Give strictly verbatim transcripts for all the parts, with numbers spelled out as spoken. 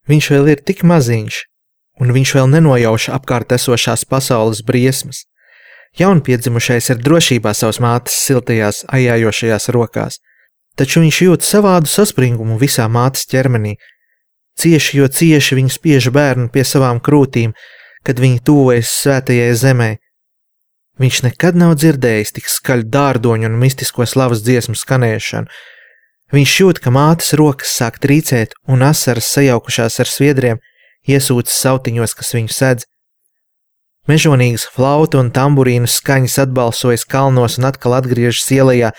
Viņš vēl ir tik maziņš, un viņš vēl nenojauš apkārt esošās pasaules briesmas. Jaunpiedzimušais ir drošībā savas mātes siltajās, ajājošajās rokās, taču viņš jūt savādu saspringumu visā mātes ķermenī. Cieši, jo cieši viņa spiež bērnu pie savām krūtīm, kad viņi tuvojas svētajai zemē. Viņš nekad nav dzirdējis tik skaļu dārdoņu un mistisko slavas dziesmu skanēšanu. Viņš jūt, ka mātes rokas sāk trīcēt un asaras sajaukušās ar sviedriem iesūcas sautiņos, kas viņu sedz. Mežonīgas flautu un tamburīnu skaņas atbalsojas kalnos un atkal atgriežas ielajā,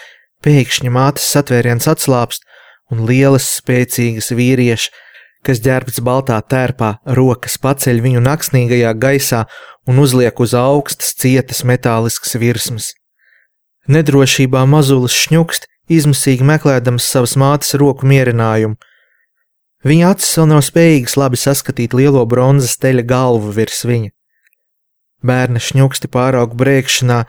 pēkšņi mātes satvēriens atslāpst un lielas spēcīgas vīrieši, kas ģērbts baltā tērpā, rokas paceļ viņu naksnīgajā gaisā un uzliek uz augstas cietas metāliskas virsmas. Nedrošībā mazulis šņukst, izmisīgi meklēdams savas mātes roku mierinājumu. Viņa acis vēl nav spējīgas labi saskatīt lielo bronzas teļa galvu virs viņa. Bērna šņuksti pāraug brēkšanā,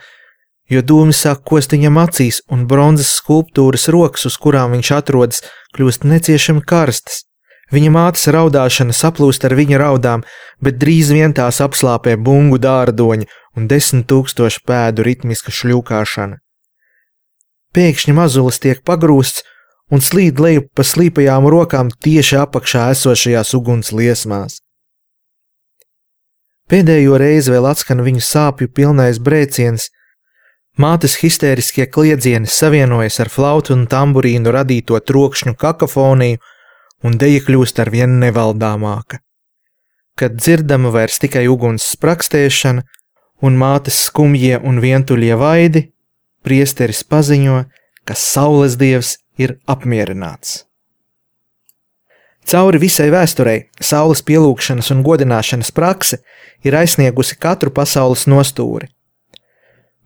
jo dūmi sāk kost viņam acīs, un bronzas skulptūras rokas, uz kurām viņš atrodas, kļūst neciešami karstas. Viņa mātes raudāšana saplūst ar viņa raudām, bet drīz vien tās apslāpē bungu dārdoņa un desmit tūkstošu pēdu ritmiska šļūkāšana. Pēkšņi mazulis tiek pagrūsts un slīd lejup pa slīpajām rokām tieši apakšā esošajās uguns liesmās. Pēdējo reizi vēl atskan viņu sāpju pilnais brēciens. Mātes histēriskie kliedzieni savienojas ar flautu un tamburīnu radīto trokšņu kakofoniju, un deja kļūst ar vien nevaldāmāka. Kad dzirdama vairs tikai uguns sprakstēšana un mātes skumjie un vientuļie vaidi, priesteris paziņo, ka saules dievs ir apmierināts. Cauri visai vēsturei saules pielūgšanas un godināšanas prakse ir aizsniegusi katru pasaules nostūri.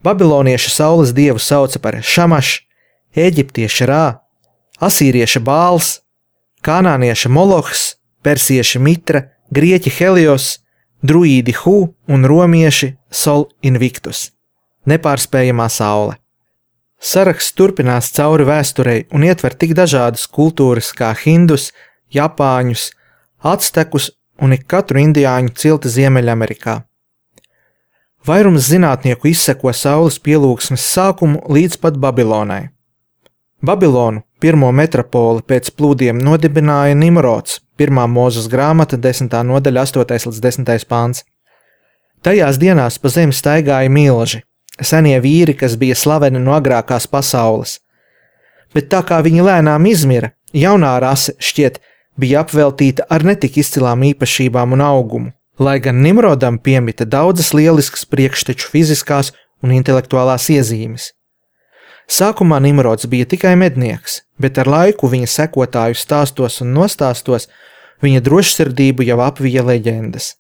Babilonieši saules dievu sauca par Šamaš, eģiptieši Rā, asīrieši Bāls, kanānieši Molohs, persieši Mitra, grieķi Helios, druīdi Hu un romieši Sol Invictus, nepārspējamā saule. Saraksts turpinās cauri vēsturei un ietver tik dažādas kultūras kā hindus, japāņus, actekus un ik katru indiāņu cilti Ziemeļamerikā. Vairums zinātnieku izseko saules pielūgsmes sākumu līdz pat Babilonai. Babilonu, pirmo metropoli pēc plūdiem nodibināja Nimrods, pirmā Mūzes grāmata, desmitā nodaļa, astotais līdz desmitais pāns. Tajās dienās pa zemi staigāja milži, senie vīri, kas bija slaveni no agrākās pasaules. Bet tā kā viņi lēnām izmira, jaunā rase, šķiet, bija apveltīta ar netik izcilām īpašībām un augumu, lai gan Nimrodam piemita daudzas lieliskas priekšteču fiziskās un intelektuālās iezīmes. Sākumā Nimrods bija tikai mednieks, bet ar laiku viņa sekotāju stāstos un nostāstos viņa drošsirdību jau apvija leģendas.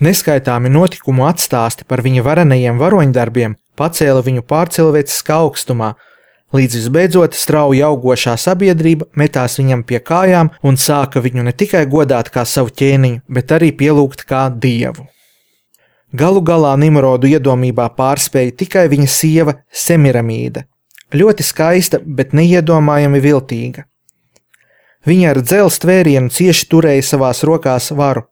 Neskaitāmi notikumu atstāsti par viņa varenajiem varoņdarbiem pacēla viņu pārcilvēciskā augstumā, līdz visbeidzot strauji augošā sabiedrība metās viņam pie kājām un sāka viņu ne tikai godāt kā savu ķēniņu, bet arī pielūgt kā dievu. Galu galā Nimrodu iedomībā pārspēja tikai viņa sieva Semiramīda, ļoti skaista, bet neiedomājami viltīga. Viņa ar dzelzs tvērienu cieši turēja savās rokās varu,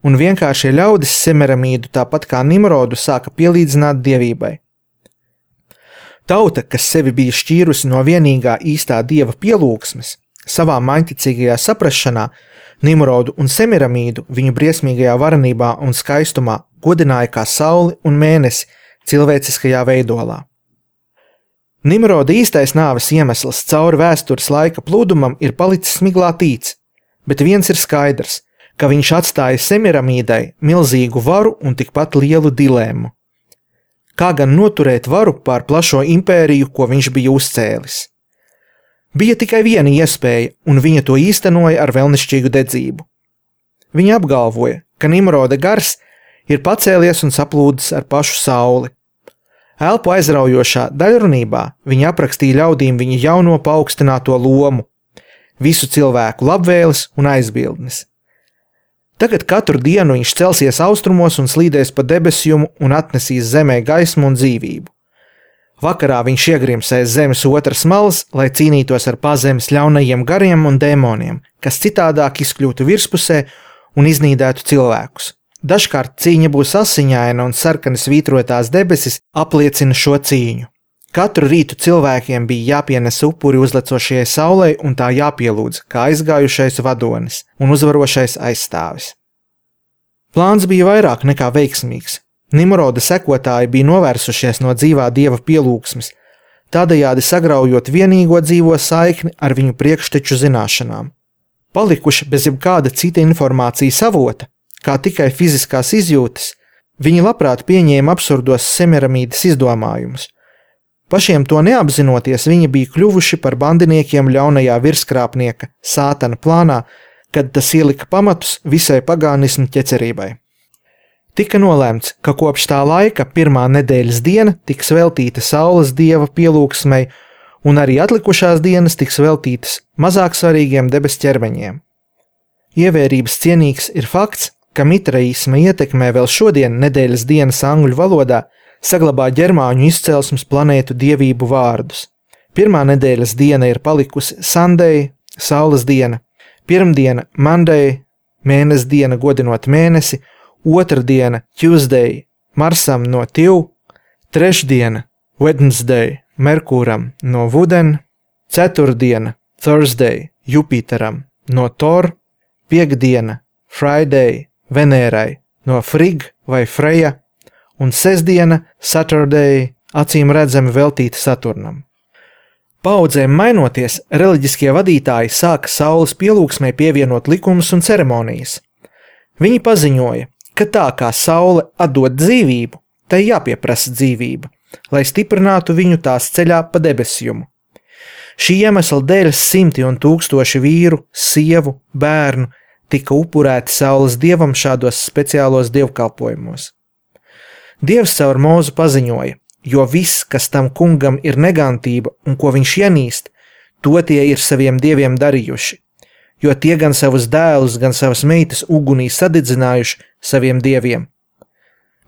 un vienkāršie ļaudis Semiramīdu tāpat kā Nimrodu sāka pielīdzināt dievībai. Tauta, kas sevi bija šķīrusi no vienīgā īstā dieva pielūgsmes, savā maņticīgajā saprašanā Nimrodu un Semiramīdu viņu briesmīgajā varenībā un skaistumā godināja kā sauli un mēnesi cilvēciskajā veidolā. Nimroda īstais nāves iemesls cauri vēstures laika plūdumam ir palicis miglātīts, bet viens ir skaidrs, ka viņš atstāja Semiramīdai milzīgu varu un tikpat lielu dilemmu. Kā gan noturēt varu pār plašo impēriju, ko viņš bija uzcēlis? Bija tikai viena iespēja, un viņa to īstenoja ar vēlnišķīgu dedzību. Viņa apgalvoja, ka Nimroda gars ir pacēlies un saplūdis ar pašu sauli. Elpu aizraujošā daļrunībā viņa aprakstīja ļaudīm viņa jauno paaugstināto lomu, visu cilvēku labvēles un aizbildnis. Tagad katru dienu viņš celsies austrumos un slīdēs pa debesjumu un atnesīs zemē gaismu un dzīvību. Vakarā viņš iegrims aiz zemes otras malas, lai cīnītos ar pazemes ļaunajiem gariem un dēmoniem, kas citādāk izkļūtu virspusē un iznīdētu cilvēkus. Dažkārt cīņa būs asiņaina un sarkanas vītrotās debesis apliecina šo cīņu. Katru rītu cilvēkiem bija jāpienes upuri uzlecošajai saulei un tā jāpielūdz, kā aizgājušais vadonis un uzvarošais aizstāvis. Plāns bija vairāk nekā veiksmīgs. Nimroda sekotāji bija novērsušies no dzīvā dieva pielūgsmes, tādējādi sagraujot vienīgo dzīvo saikni ar viņu priekšteču zināšanām. Palikuši bez jebkāda cita informācijas avota, kā tikai fiziskās izjūtas, viņi labprāt pieņēma absurdos Semiramīdas izdomājumus. Pašiem to neapzinoties, viņi bija kļuvuši par bandiniekiem ļaunajā virskrāpnieka Sātana plānā, kad tas ielika pamatus visai pagānismu ķecerībai. Tika nolēmts, ka kopš tā laika pirmā nedēļas diena tiks veltīta saules dieva pielūgsmei, un arī atlikušās dienas tiks veltītas mazāk svarīgiem debes ķermeņiem. Ievērības cienīgs ir fakts, ka mitraisma ietekmē vēl šodien nedēļas dienas angļu valodā saglabā ģermāņu izcelsmes planētu dievību vārdus. Pirmā nedēļas diena ir palikusi Sunday, saules diena, pirmdiena Monday, mēnes diena godinot mēnesi, otra diena Tuesday, Marsam no Tiv, trešdiena Wednesday, Merkūram no Vuden, ceturtdiena Thursday, Jupiteram no Tor, piekdiena Friday, Venērai no Frig vai Freja, un sestdiena Saturday, acīm redzami veltīta Saturnam. Paudzēm mainoties, reliģiskie vadītāji sāka saules pielūgsmei pievienot likumus un ceremonijas. Viņi paziņoja, ka tā kā saule atdod dzīvību, tai jāpieprasa dzīvība, lai stiprinātu viņu tās ceļā pa debesjumu. Šī iemesla dēļ simti un tūkstoši vīru, sievu, bērnu tika upurēti saules dievam šādos speciālos dievkalpojumos. Dievs caur Mūzu paziņoja, jo viss, kas tam kungam ir negantība un ko viņš ienīst, to tie ir saviem dieviem darījuši, jo tie gan savus dēlus, gan savas meitas ugunī sadedzinājuši saviem dieviem.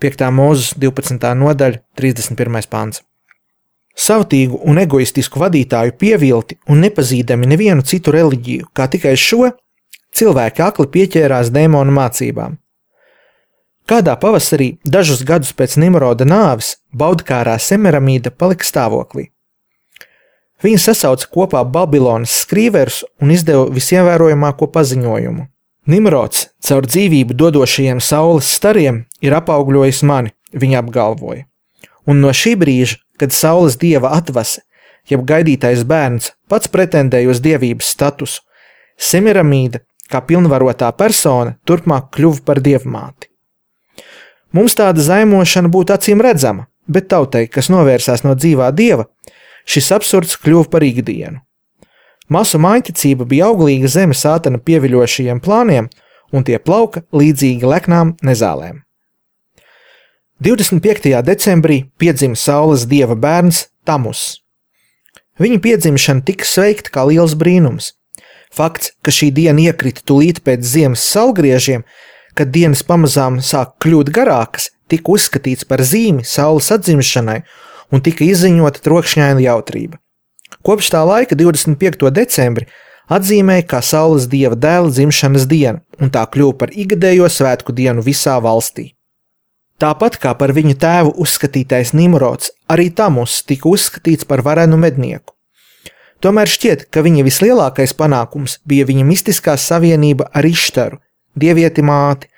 piektā Mūzes divpadsmitā nodaļa, trīsdesmit pirmais pants. Savtīgu un egoistisku vadītāju pievilti un nepazīdami nevienu citu reliģiju, kā tikai šo, cilvēki akli pieķērās dēmonu mācībām. Kādā pavasarī, dažus gadus pēc Nimroda nāves, baudkārā Semiramīda palika stāvoklī. Viņa sasauca kopā Babilonas skrīverus un izdeva visievērojamāko paziņojumu. Nimrods, caur dzīvību dodošajiem saules stariem, ir apaugļojis mani, viņa apgalvoja. Un no šī brīža, kad saules dieva atvase, jeb gaidītais bērns, pats pretendēja uz dievības statusu, Semiramīda, kā pilnvarotā persona, turpmāk kļuva par dievmāti. Mums tāda zaimošana būtu acīm redzama, bet tautai, kas novērsās no dzīvā dieva, šis absurds kļuva par ikdienu. Masu mājticība bija auglīga zeme Sātana pieviļošajiem plāniem, un tie plauka līdzīgi leknām nezālēm. divdesmit piektajā decembrī piedzima saules dieva bērns Tamus. Viņa piedzimšana tika sveikta kā liels brīnums. Fakts, ka šī diena iekrita tulīt pēc ziemas saulgriežiem, kad dienas pamazām sāk kļūt garākas, tika uzskatīts par zīmi saules atzimšanai un tika izziņota trokšņaina jautrība. Kopš tā laika divdesmit piekto decembri atzīmēja kā saules dieva dēla dzimšanas dienu, un tā kļuva par ikgadējo svētku dienu visā valstī. Tāpat kā par viņu tēvu uzskatītais Nimrods, arī Tamus tika uzskatīts par varenu mednieku. Tomēr šķiet, ka viņa vislielākais panākums bija viņa mistiskā savienība ar Ištaru, dievieti māti,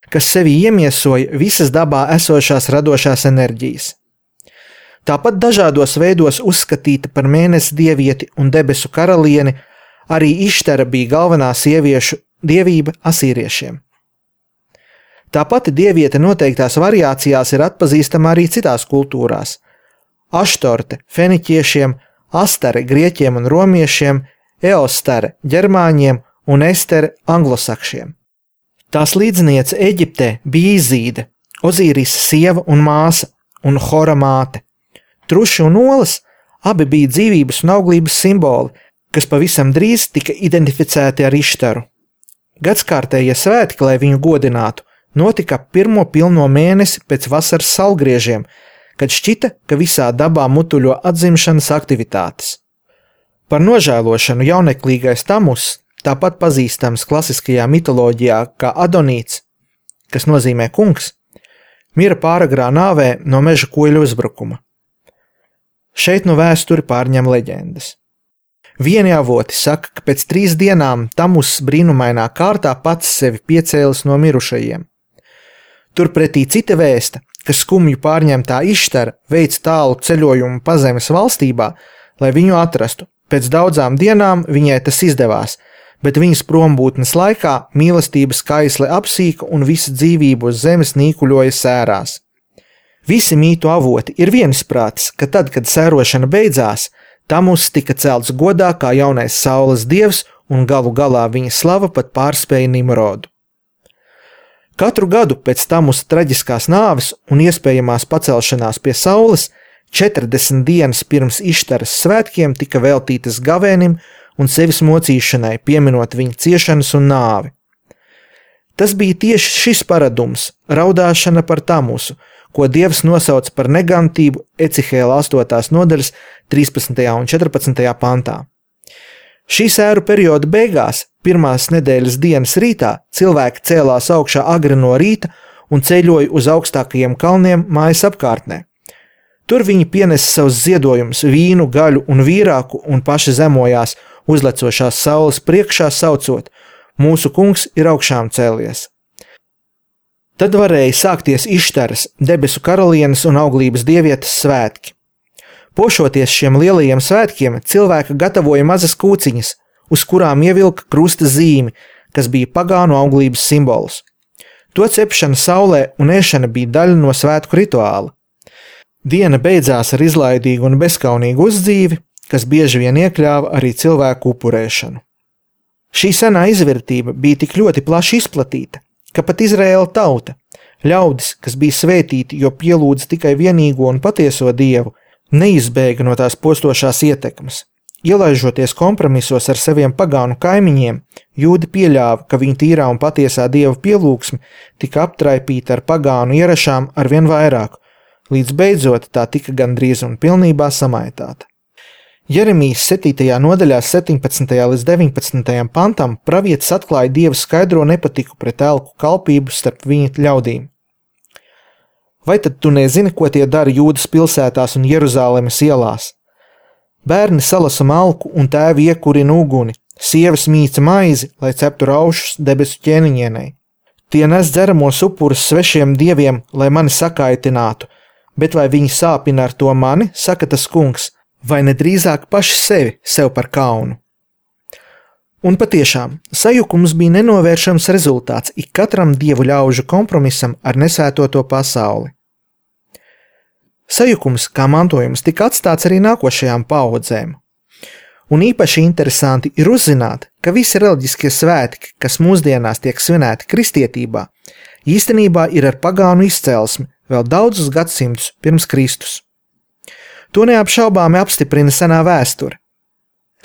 kas sevi iemiesoja visas dabā esošās radošās enerģijas. Tāpat dažādos veidos uzskatīta par mēnesi dievieti un debesu karalieni, arī Ištara bija galvenā sieviešu dievība asīriešiem. Tā pati dieviete noteiktās variācijās ir atpazīstama arī citās kultūrās. Aštorte feniķiešiem, Astare grieķiem un romiešiem, Eostare ģermāņiem un Estere anglosakšiem. Tās līdzniece Eģiptē bija Izīde, Ozīrisa sieva un māsa un Hora māte. Truši un olas abi bija dzīvības un auglības simboli, kas pavisam drīz tika identificēti ar Ištaru. Gadskārtējie svētki, lai viņu godinātu, notika pirmo pilno mēnesi pēc vasaras saulgriežiem, kad šķita, ka visā dabā mutuļo atzimšanas aktivitātes. Par nožēlošanu jauneklīgais Tamus, tāpat pazīstams klasiskajā mitoloģijā kā Adonīts, kas nozīmē kungs, mira pāragrā nāvē no meža kuļu uzbrukuma. Šeit no vēsturi pārņem leģendas. Vieni avoti saka, ka pēc trīs dienām Tamus brīnumainā kārtā pats sevi piecēlis no mirušajiem. Turpretī cita vēsta, ka skumju pārņemtā Ištara veic tālu ceļojumu pazemes valstībā, lai viņu atrastu. Pēc daudzām dienām viņai tas izdevās, bet viņas prombūtnes laikā mīlestības kaisle apsīka un visa dzīvība uz zemes nīkuļoja sērās. Visi mītu avoti ir viensprātis, ka tad, kad sērošana beidzās, Tamus tika celts godā kā jaunais saules dievs un galu galā viņa slava pat pārspēja Nimrodu. Katru gadu pēc Tamusa traģiskās nāves un iespējamās pacelšanās pie saules, četrdesmit dienas pirms Ištaras svētkiem tika veltītas gavēnim un sevis mocīšanai, pieminot viņa ciešanas un nāvi. Tas bija tieši šis paradums, raudāšana par Tamusu, ko Dievs nosauc par negantību Ecihēla astotās nodaļas trīspadsmitajā un četrpadsmitajā pantā. Šī sēru perioda beigās, pirmās nedēļas dienas rītā, cilvēki cēlās augšā agri no rīta un ceļoja uz augstākajiem kalniem mājas apkārtnē. Tur viņi pienesa savus ziedojumus, vīnu, gaļu un vīrāku un paši zemojās uzlecošās saules priekšā saucot: Mūsu kungs ir augšām cēlies. Tad varēja sākties Ištaras, debesu karalienes un auglības dievietes svētki. Pošoties šiem lielajiem svētkiem, cilvēki gatavoja mazas kūciņas, uz kurām ievilka krusta zīmi, kas bija pagānu auglības simbols. To cepšana saulē un ēšana bija daļa no svētku rituāla. Diena beidzās ar izlaidīgu un bezkaunīgu uzdzīvi, kas bieži vien iekļāva arī cilvēku upurēšanu. Šī senā izvērtība bija tik ļoti plaši izplatīta, ka pat Izraēla tauta, ļaudis, kas bija svētīti, jo pielūdza tikai vienīgo un patieso Dievu, neizbēga no tās postošās ietekmes. Ielaižoties kompromisos ar saviem pagānu kaimiņiem, jūdi pieļāva, ka viņa tīrā un patiesā Dieva pielūgsme tika aptraipīta ar pagānu ierašām ar vien vairāk, līdz beidzot tā tika gandrīz un pilnībā samaitāta. Jeremijas septītajā nodaļā septiņpadsmitajā līdz deviņpadsmitajam pantam pravietis atklāja Dievu skaidro nepatiku pret elku kalpību starp viņa ļaudīm. Vai tad tu nezini, ko tie dara Jūdas pilsētās un Jeruzālemes ielās? Bērni salasa malku un tēvi iekurina uguni, sievas mīca maizi, lai ceptu raušus debesu ķēniņienei. Tie nes dzeramos upurus svešiem dieviem, lai mani sakaitinātu, bet vai viņi sāpina ar to mani, saka tas kungs, vai nedrīzāk paši sevi sev par kaunu. Un patiešām, sajukums bija nenovēršams rezultāts ik katram dievu ļaužu kompromisam ar nesvētoto pasauli. Sajukums kā mantojums tika atstāts arī nākošajām paaudzēm. Un īpaši interesanti ir uzzināt, ka visi reliģiskie svētki, kas mūsdienās tiek svinēti kristietībā, īstenībā ir ar pagānu izcelsmi vēl daudzus gadsimtus pirms Kristus. To neapšaubāmi apstiprina senā vēsture.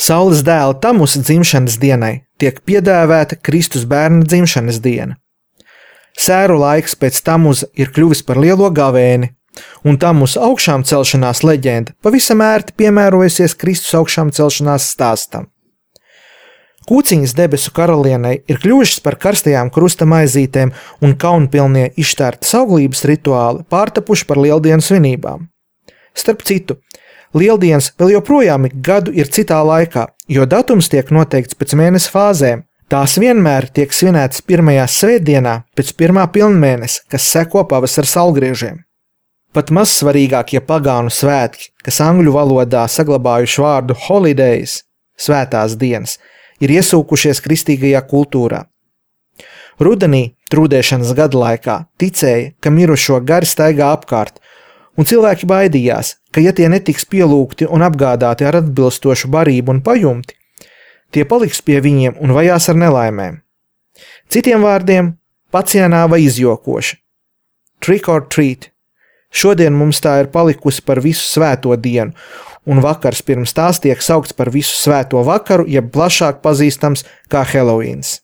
Saules dēla Tamusa dzimšanas dienai tiek piedēvēta Kristus bērna dzimšanas diena. Sēru laiks pēc Tamuza ir kļuvis par lielo gavēni, un Tamusa augšām celšanās leģenda pavisam ērti piemērojusies Kristus augšām celšanās stāstam. Kūciņas debesu karalienei ir kļuvušas par karstajām krusta maizītēm un kaunpilnie Ištārtas auglības rituāli pārtapuši par lieldienu svinībām. Starp citu, lieldienas vēl joprojām ik gadu ir citā laikā, jo datums tiek noteikts pēc mēnesa fāzēm. Tās vienmēr tiek svinētas pirmajā svētdienā pēc pirmā pilnmēnesa, kas seko pavasara saulgriežiem. Pat mazsvarīgākie pagānu svētki, kas angļu valodā saglabājuši vārdu holidays, svētās dienas, ir iesūkušies kristīgajā kultūrā. Rudenī, trūdēšanas gada laikā, ticēja, ka mirušo gari staigā apkārt, un cilvēki baidījās, ka ja tie netiks pielūgti un apgādāti ar atbilstošu barību un pajumti, tie paliks pie viņiem un vajās ar nelaimēm. Citiem vārdiem, pacienā vai izjokoši. Trick or treat. Šodien mums tā ir palikusi par visu svēto dienu, un vakars pirms tās tiek saukts par visu svēto vakaru, jeb plašāk pazīstams kā Heloīns.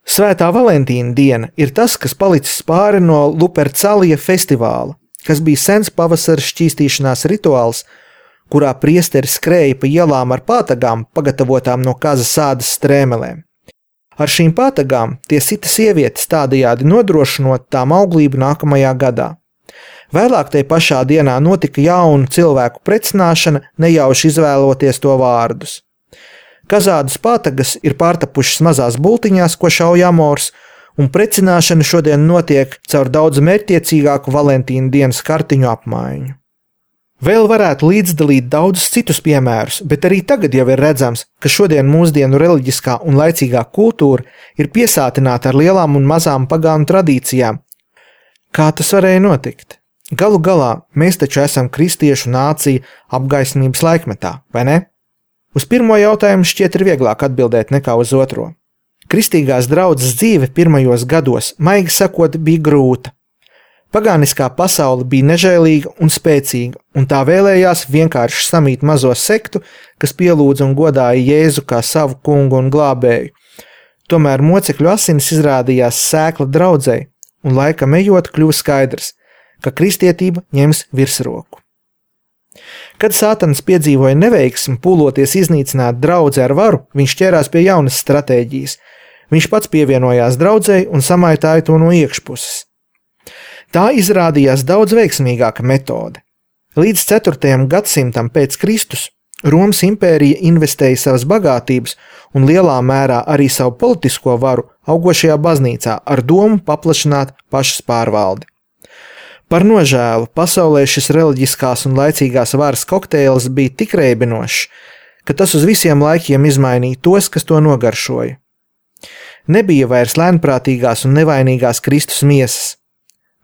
Svētā Valentīna diena ir tas, kas palicis pāri no Lupercalija festivāla, kas bija sens pavasara šķīstīšanās rituāls, kurā priesteri skrēja pa ielām ar pātagām, pagatavotām no kazas ādas strēmelēm. Ar šīm pātagām tie sita sievietes, tādējādi nodrošinot tām auglību nākamajā gadā. Vēlāk tai pašā dienā notika jaunu cilvēku precināšana, nejauši izvēloties to vārdus. Kazādas pātagas ir pārtapušas mazās bultiņās, ko šauj amors, un precināšana šodien notiek caur daudz mērķtiecīgāku Valentīna dienas kartiņu apmaiņu. Vēl varētu līdzdalīt daudzus citus piemērus, bet arī tagad jau ir redzams, ka šodien mūsdienu reliģiskā un laicīgā kultūra ir piesātināta ar lielām un mazām pagānu tradīcijām. Kā tas varēja notikt? Galu galā mēs taču esam kristiešu nācija apgaismības laikmetā, vai ne? Uz pirmo jautājumu šķiet ir vieglāk atbildēt nekā uz otro. Kristīgās draudzes dzīve pirmajos gados, maigi sakot, bija grūta. Pagāniskā pasaule bija nežēlīga un spēcīga, un tā vēlējās vienkārši samīt mazo sektu, kas pielūdza un godāja Jēzu kā savu kungu un glābēju. Tomēr mocekļu asinis izrādījās sēkla draudzei, un laikam ejot kļuva skaidrs, ka kristietība ņems virsroku. Kad Sātans piedzīvoja neveiksmi pūloties iznīcināt draudzi ar varu, viņš ķērās pie jaunas stratēģijas. Viņš pats pievienojās draudzei un samaitāja to no iekšpuses. Tā izrādījās daudz veiksmīgāka metode. Līdz ceturtajam gadsimtam pēc Kristus Romas impērija investēja savas bagātības un lielā mērā arī savu politisko varu augošajā baznīcā ar domu paplašināt pašas pārvaldi. Par nožēlu pasaulē šis reliģiskās un laicīgās varas kokteils bija tik reibinošs, ka tas uz visiem laikiem izmainīja tos, kas to nogaršoja. Nebija vairs lēnprātīgās un nevainīgās Kristus miesas.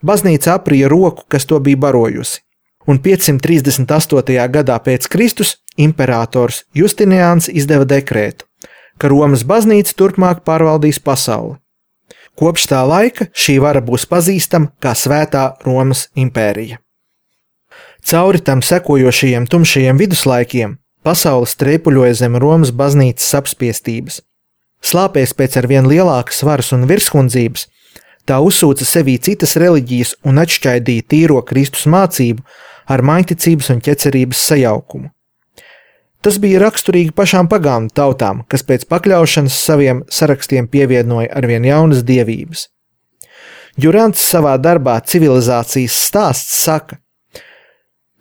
Baznīca aprija roku, kas to bija barojusi, un piecsimt trīsdesmit astotajā gadā pēc Kristus imperators Justiniāns izdeva dekrētu, ka Romas baznīca turpmāk pārvaldīs pasauli. Kopš tā laika šī vara būs pazīstama kā Svētā Romas impērija. Cauri tam sekojošajiem tumšajiem viduslaikiem pasaule streipuļoja zem Romas baznīcas apspiestības. Slāpēs pēc ar vien lielākas varas un virskundzības, tā uzsūca sevī citas reliģijas un atšķaidīja tīro Kristus mācību ar maiņticības un ķecerības sajaukumu. Tas bija raksturīgi pašām pagānu tautām, kas pēc pakļaušanas saviem sarakstiem pievienoja arvien jaunas dievības. Durants savā darbā Civilizācijas stāsts saka,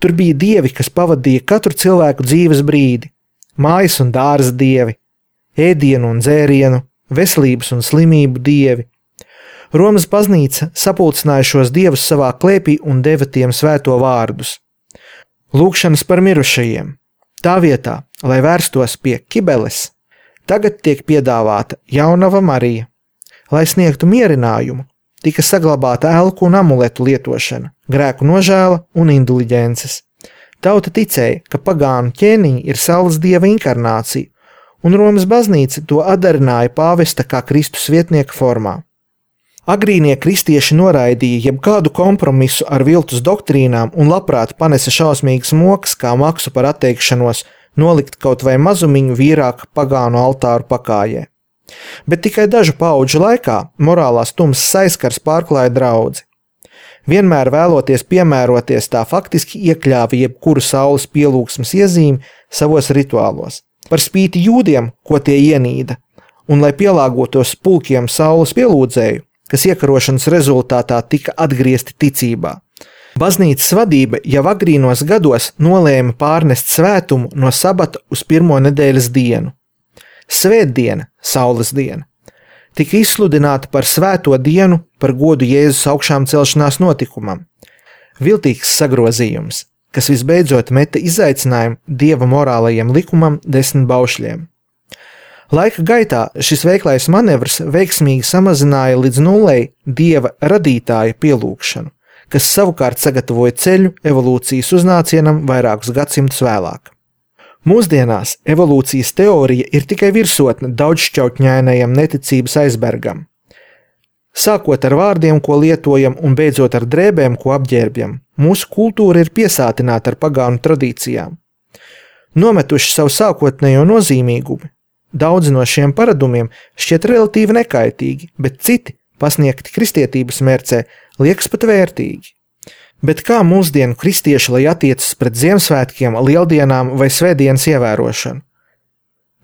tur bija dievi, kas pavadīja katru cilvēku dzīves brīdi, mājas un dārza dievi, ēdienu un dzērienu, veselības un slimību dievi. Romas baznīca sapulcināja šos dievus savā klēpī un deva tiem svēto vārdus. Lūgšanas par mirušajiem. Tā vietā, lai vērstos pie Kibeles, tagad tiek piedāvāta jaunava Marija. Lai sniegtu mierinājumu, tika saglabāta elku un amuletu lietošana, grēku nožēla un indulģences. Tauta ticēja, ka pagānu ķēniņi ir saules dieva inkarnācija, un Romas baznīca to atdarināja pāvesta kā Kristus vietnieka formā. Agrīnie kristieši noraidīja jebkādu kompromisu ar viltus doktrīnām un labprāt panesa šausmīgas mokas kā maksu par atteikšanos nolikt kaut vai mazumiņu vīrāka pagānu altāru pakājē. Bet tikai dažu paudžu laikā morālās tumsas aizskars pārklāja draudzi. Vienmēr vēloties piemēroties, tā faktiski iekļāva jebkuru saules pielūgsmes iezīmi savos rituālos. Par spīti jūdiem, ko tie ienīda, un lai pielāgotos pulkiem saules pielūdzēju, kas iekarošanas rezultātā tika atgriezti ticībā. Baznīcas vadība jau agrīnos gados nolēma pārnest svētumu no sabata uz pirmo nedēļas dienu. Svētdiena, saules diena, tika izsludināta par svēto dienu par godu Jēzus augšām celšanās notikumam. Viltīgs sagrozījums, kas visbeidzot meta izaicinājumu dieva morālajiem likumam desmit baušļiem. Laika gaitā šis veiklais manevrs veiksmīgi samazināja līdz nullei dieva radītāja pielūgšanu, kas savukārt sagatavoja ceļu evolūcijas uznācienam vairākus gadsimtus vēlāk. Mūsdienās evolūcijas teorija ir tikai virsotne daudzšķautņainajam neticības aizbergam. Sākot ar vārdiem, ko lietojam, un beidzot ar drēbēm, ko apģērbjam, mūsu kultūra ir piesātināta ar pagānu tradīcijām. Nometuši savu sākotnējo nozīmīgumu, daudzi no šiem paradumiem šķiet relatīvi nekaitīgi, bet citi, pasniegti kristietības mērcē, liekas pat vērtīgi. Bet kā mūsdienu kristieši, lai attiecas pret Ziemassvētkiem, Lieldienām vai Svētdienas ievērošanu?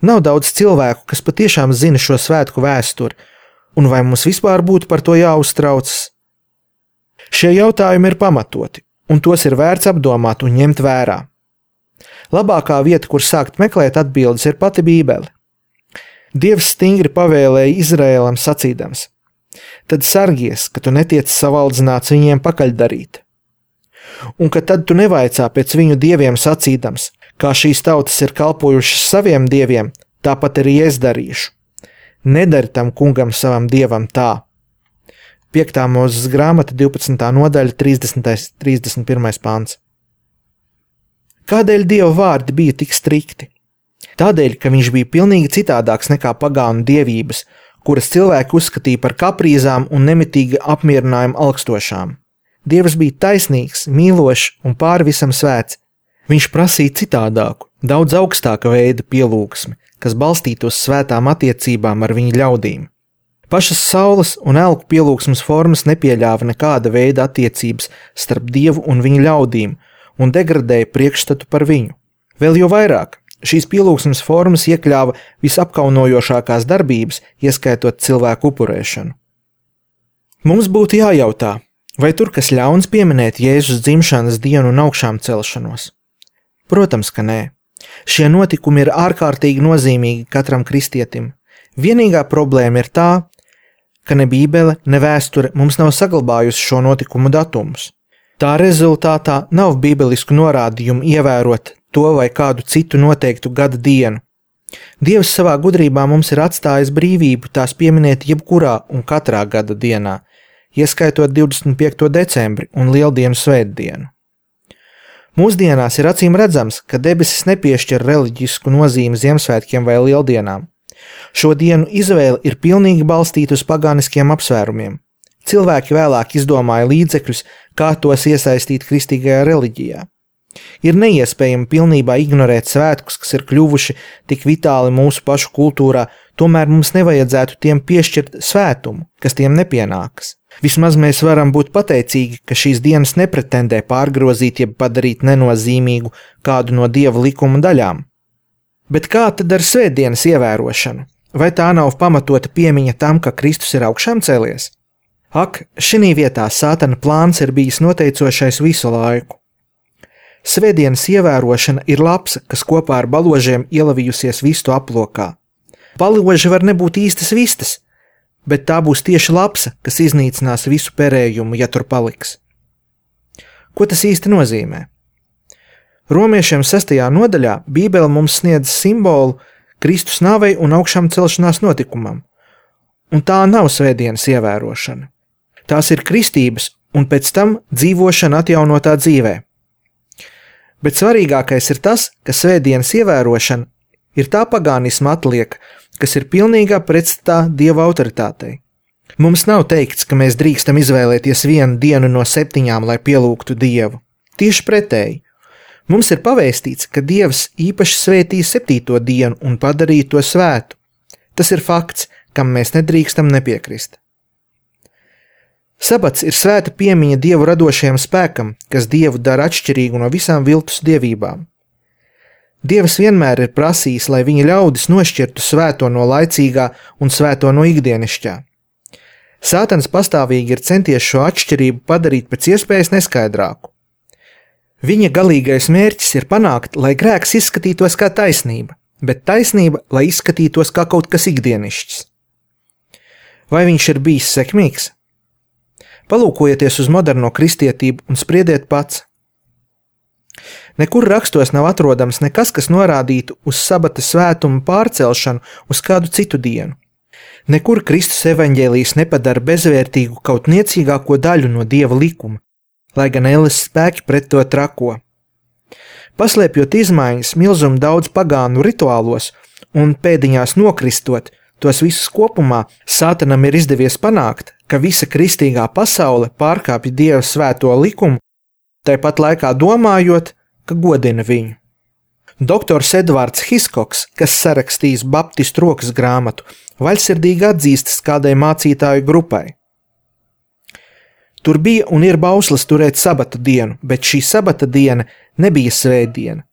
Nav daudz cilvēku, kas patiešām zina šo svētku vēsturi, un vai mums vispār būtu par to jāuztraucas? Šie jautājumi ir pamatoti, un tos ir vērts apdomāt un ņemt vērā. Labākā vieta, kur sākt meklēt atbildes, ir pati Bībele. Dievs stingri pavēlēja Izraēlam sacīdams: tad sargies, ka tu netiec savaldzināts viņiem pakaļdarīt. Un ka tad tu nevaicā pēc viņu dieviem sacīdams, kā šīs tautas ir kalpojušas saviem dieviem, tāpat arī es darīšu. Nedari tam kungam savam dievam tā. Piektā Mūzes grāmata, divpadsmitā nodaļa, trīsdesmitais, trīsdesmit pirmais pants. Kādēļ Dieva vārdi bija tik strikti? Tādēļ, ka viņš bija pilnīgi citādāks nekā pagānu dievības, kuras cilvēki uzskatīja par kaprīzām un nemitīgi apmierinājumu alkstošām. Dievs bija taisnīgs, mīlošs un pāri visam svēts. Viņš prasīja citādāku, daudz augstāka veida pielūgsmi, kas balstītos svētām attiecībām ar viņa ļaudīm. Pašas saules un elku pielūgsmes formas nepieļāva nekāda veida attiecības starp Dievu un viņa ļaudīm un degradēja priekšstatu par viņu. Vēl jo vairāk, šīs pielūgsmes formas iekļāva visapkaunojošākās darbības, ieskaitot cilvēku upurēšanu. Mums būtu jājautā, vai tur kas ļauns pieminēt Jēzus dzimšanas dienu un augšām celšanos? Protams, ka nē. Šie notikumi ir ārkārtīgi nozīmīgi katram kristietim. Vienīgā problēma ir tā, ka ne Bībele, ne vēsture mums nav saglabājusi šo notikumu datumus. Tā rezultātā nav bībelisku norādījumu ievērot to vai kādu citu noteiktu gada dienu. Dievs savā gudrībā mums ir atstājis brīvību tās pieminēt jebkurā un katrā gada dienā, ieskaitot divdesmit piekto decembri un Lieldienu svētdienu. Mūsdienās ir acīm redzams, ka debesis nepiešķir reliģisku nozīmi Ziemassvētkiem vai Lieldienām. Šo dienu izvēle ir pilnīgi balstīta uz pagāniskiem apsvērumiem. Cilvēki vēlāk izdomāja līdzekļus, kā tos iesaistīt kristīgajā reliģijā. Ir neiespējami pilnībā ignorēt svētkus, kas ir kļuvuši tik vitāli mūsu pašu kultūrā, tomēr mums nevajadzētu tiem piešķirt svētumu, kas tiem nepienākas. Vismaz mēs varam būt pateicīgi, ka šīs dienas nepretendē pārgrozīt jeb padarīt nenozīmīgu kādu no Dieva likuma daļām. Bet kā tad ar svētdienas ievērošanu? Vai tā nav pamatota piemiņa tam, ka Kristus ir augšām cēlies? Ak, šinī vietā Sātana plāns ir bijis noteicošais visu laiku. Svētdienas ievērošana ir lapsa, kas kopā ar baložiem ielavījusies vistu aplokā. Baloži var nebūt īstas vistas, bet tā būs tieši lapsa, kas iznīcinās visu perējumu, ja tur paliks. Ko tas īsti nozīmē? Romiešiem sestajā nodaļā Bībele mums sniedz simbolu Kristus nāvei un augšām celšanās notikumam, un tā nav svētdienas ievērošana. Tās ir kristības un pēc tam dzīvošana atjaunotā dzīvē. Bet svarīgākais ir tas, ka svētdienas ievērošana ir tā pagānisma atlieka, kas ir pilnīgā pretstatā Dieva autoritātei. Mums nav teikts, ka mēs drīkstam izvēlēties vienu dienu no septiņām, lai pielūgtu Dievu. Tieši pretēji. Mums ir pavēstīts, ka Dievs īpaši svētīja septīto dienu un padarīja to svētu. Tas ir fakts, kam mēs nedrīkstam nepiekrist. Sabats ir svēta piemiņa Dievu radošajam spēkam, kas Dievu dara atšķirīgu no visām viltus dievībām. Dievs vienmēr ir prasījis, lai viņa ļaudis nošķirtu svēto no laicīgā un svēto no ikdienišķā. Sātans pastāvīgi ir centies šo atšķirību padarīt pēc iespējas neskaidrāku. Viņa galīgais mērķis ir panākt, lai grēks izskatītos kā taisnība, bet taisnība, lai izskatītos kā kaut kas ikdienišķs. Vai viņš ir bijis sekmīgs? Palūkojieties uz moderno kristietību un spriediet pats. Nekur rakstos nav atrodams nekas, kas norādītu uz sabata svētumu pārcelšanu uz kādu citu dienu. Nekur Kristus evaņģēlijs nepadara bezvērtīgu kaut niecīgāko daļu no Dieva likuma, lai gan elles spēki pret to trako. Paslēpjot izmaiņas milzumu daudz pagānu rituālos un pēdiņās nokristot tos visus kopumā, Sātanam ir izdevies panākt, ka visa kristīgā pasaule pārkāpja Dieva svēto likumu, tāpat laikā domājot, ka godina viņu. Doktors Edvards Hiskoks, kas sarakstījis Baptistu rokas grāmatu, vaļsirdīgi atzīstas kādai mācītāju grupai. Tur bija un ir bauslis turēt sabata dienu, bet šī sabata diena nebija svētdiena.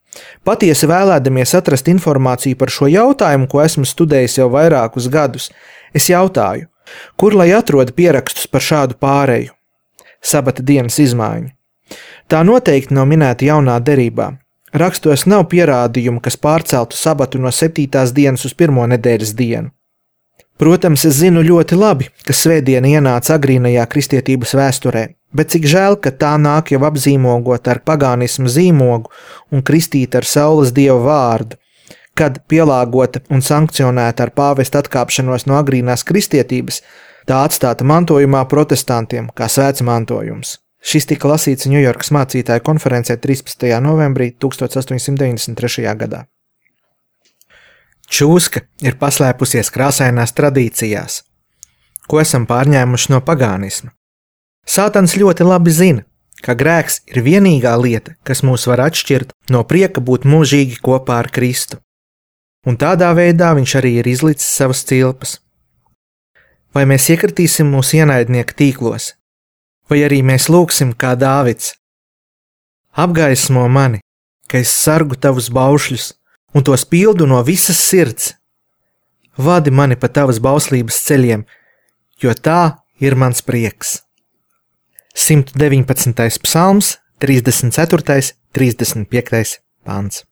Patiesi vēlēdamies atrast informāciju par šo jautājumu, ko esmu studējis jau vairākus gadus, es jautāju, kur lai atrod pierakstus par šādu pāreju? Sabata dienas izmaiņu. Tā noteikti nav minēta jaunā derībā. Rakstos nav pierādījumu, kas pārceltu sabatu no septītās dienas uz pirmo nedēļas dienu. Protams, es zinu ļoti labi, ka svētdiena ienāca agrīnajā kristietības vēsturē, bet cik žēl, ka tā nāk jau apzīmogot ar pagānismu zīmogu un kristīta ar saules dieva vārdu, kad pielāgota un sankcionēta ar pāvesta atkāpšanos no agrīnās kristietības, tā atstāta mantojumā protestantiem kā svēts mantojums. Šis tika lasīts Ņujorkas mācītāju konferencē trīspadsmitajā novembrī tukstot astoņsimt deviņdesmit trešajā gadā. Čūska ir paslēpusies krāsainās tradīcijās, ko esam pārņēmuši no pagānisma. Sātans ļoti labi zina, ka grēks ir vienīgā lieta, kas mūs var atšķirt no prieka būt mūžīgi kopā ar Kristu. Un tādā veidā viņš arī ir izlicis savas cilpas. Vai mēs iekritīsim mūsu ienaidnieku tīklos, vai arī mēs lūgsim kā Dāvids? Apgaismo mani, ka es sargu tavus baušļus un tos pildu no visas sirds. Vadi mani pa tavas bauslības ceļiem, jo tā ir mans prieks. simt deviņpadsmitais psalms, trīsdesmit ceturtais, trīsdesmit piektais pants.